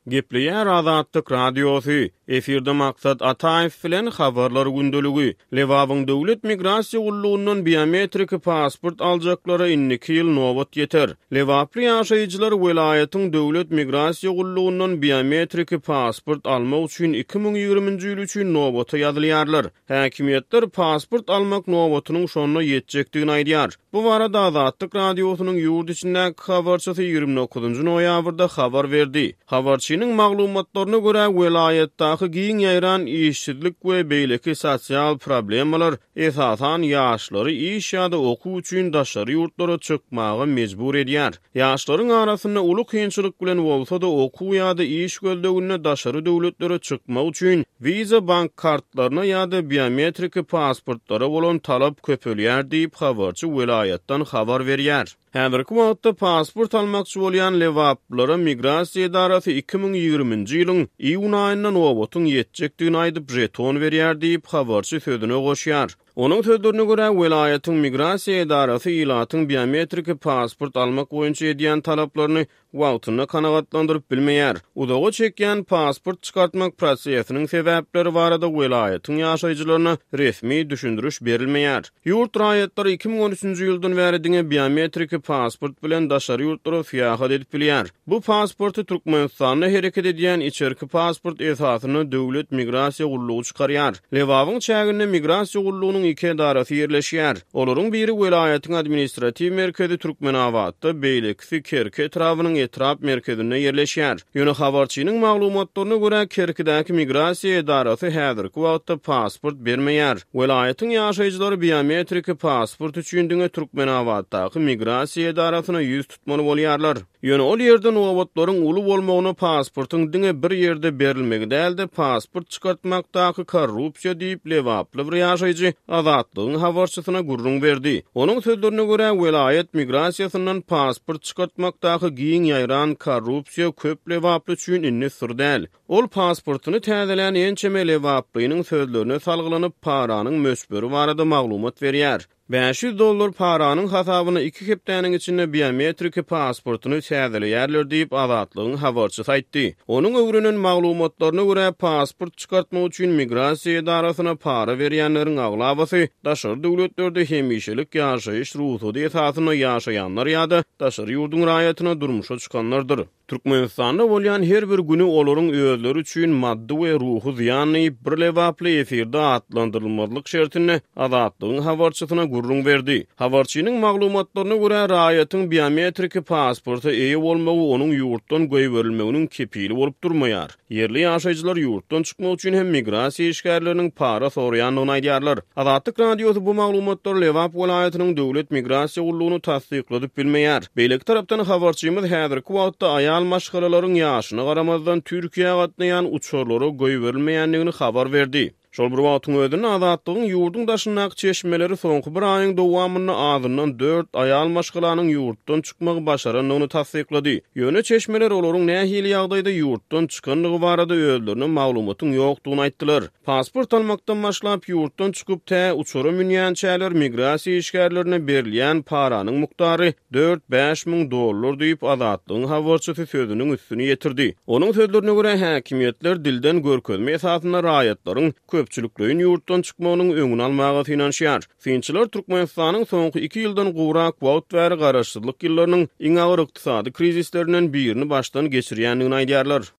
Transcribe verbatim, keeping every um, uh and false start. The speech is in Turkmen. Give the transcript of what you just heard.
Gepleýär Azatlyk Radiosy, efirde Maksat Ataýew bilen Habarlar gündeligi. Lebabyň döwlet migrasiýa gullugyndan biometrik pasport aljaklara indiki ýyl nobat ýeter. Lebaply ýaşaýjylar welaýatyň döwlet migrasiýa gullugyndan biometrik pasport almak üçin iki müň ýigriminji ýyl üçin nobata ýazylýarlar. Häkimiýetler pasport almak nobatynyň şonda ýetjekdigini aýdýar. Bu barada Azatlyk Radiosynyň ýurt içindäki habarçysy ýigrimi dokuzynjy noýabrda habar berdi. Habarçynyň maglumatlaryna görä, welaýatdaky giň ýaýran işsizlik we beýleki sosial problemalar esasan ýaşlary iş ýa-da okuw üçin daşary ýurtlara çykmaga mejbur edýär. Ýaşlaryň arasynda uly kynçylyk bilen bolsa-da okuw ýa-da iş gözleginde daşary döwletlere çykmak üçin wiza bank kartlaryna ýa-da biometrik pasportlara bolan talap köpelýär diýip habarçy welaýatdan habar berýär. Häzirki wagtda pasport almakçy bolýan Lebaplylara migrasiýa edarasy iki müň ýigriminji ýylyň iýun aýynda nobatyň ýetjekdigini aýdyp jeton berýär diýip habarçy sözüne goşýar. Onuň sözlerine görä, welaýatyň migrasiýa edarasy ilatyň biometrik pasport almak boýunça edýän talaplaryny wagtynda kanagatlandyryp bilmeýär. Uzaga çekýän pasport çykartmak prosesiniň sebäpleri barada welaýatyň ýaşaýjylaryna resmi düşündiriş berilmeýär. Ýurt raýatlary iki müň on üçünji ýyldan bäri diňe biometrik pasport bilen daşary ýurtlara syýahat edip bilýär. Bu pasporty Türkmenistanda hereket edýän içerki pasport esasynda döwlet migrasiýa gullugy çykarýar. Lebabyň çäginde migrasiýa gullugynyň iki edarasy ýerleşýär. Olaryň biri welaýatyň administratiw merkezi Türkmenabatda, beýlekisi Kerki etrabynyň etrap merkezinde ýerleşýär. Ýöne habarçynyň maglumatlaryna görä, Kerkidäki migrasiýa edarasy häzirki wagtda pasport bermeýär. Welaýatyň ýaşaýjylary biometrik pasport üçin diňe Türkmenabatdaky migrasiýa edarasyna ýüz tutmaly bolýarlar. Ýöne ol ýerde nobatlaryň uly bolmagyna pasportyň diňe bir ýerde berilmegi däl-de pasport çykartmakdaky korrupsiýa diýip Lebaply bir ýaşaýjy Azatlygyň habarçysyna gürrüň berdi. Onuň sözlerine görä, welaýat migrasiýasyndan pasport çykartmakdaky giň ýaýran korrupsiýa köp Lebaply üçin indi syr däl. Ol pasportyny täzelän ençeme Lebaplynyň sözlerine salgylanyp paranyň möçberi barada maglumat berýär. Bäş ýüz dollar paranyň hasabyna iki hepdäniň içinde biometrik pasportyny täzeleýärler diýip Azatlygyň habarçysy aýtdy. Onuň öwrenen maglumatlaryna görä, pasport çykartmak üçin migrasiýa edarasyna para berýänleriň aglabasy daşary döwletlerde hemişelik ýaşaýyş rugsady esasynda ýaşaýanlar ýa-da daşary ýurduň raýatyna durmuşa çykanlardyr. Türkmenistanda bolýan her bir günü olaryň özleri üçin maddy we ruhy zyýan diýip bir Lebaply efirde atlandyrylmazlyk şertinde Azatlygyň habarçysyna gürrüň berdi. Habarçynyň maglumatlaryna görä, raýatyň biometrik pasporta eýe bolmagy onuň ýurtdan goýberilmeginiň kepili bolup durmaýar. Ýerli ýaşaýjylar ýurtdan çykmak üçin hem migrasiýa işgärleriniň para soraýandygyny aýdýarlar. Azatlyk Radiosy bu maglumatlary Lebap welaýatynyň döwlet migrasiýa gullugyny tassykladyp bilmeýär. Beýleki tarapdan habarçymyz häzirki wagtda aýal maşgalalaryň ýaşyna garamazdan Türkiýä gatnaýan uçarlara goýberilmeýändigini habar berdi. Şol bir wagtyň özünde Azatlygyň ýurduň daşyndaky çeşmeleri soňky bir aýyň dowamynda azyndan dört aýal maşgalanyň ýurtdan çykmagy başarandygyny tassyklady. Ýöne çeşmeler olaryň nähili ýagdaýda ýurtdan çykandygy barada özlerine maglumatyň ýokdugyny aýtdylar. Pasport almakdan başlap ýurtdan çykyp tä uçara münýänçäler migrasiýa işgärlerine berilýän paranyň mukdary dört-bäş müň dollar diýip Azatlygyň habarçysy sözüniň üstüni ýetirdi. Onuň sözlerine görä, häkimiýetler dilden görkezme esasynda raýatlaryň köpçülikleýin ýurtdan çykmagynyň öňüni almaga synanyşýar. Synçylar Türkmenistanyň soňky iki ýyldan gowrak wagt bäri garaşsyzlyk ýyllarynyň iň agyr ykdysady krizislerinden birini başdan geçirýändigini aýdýarlar.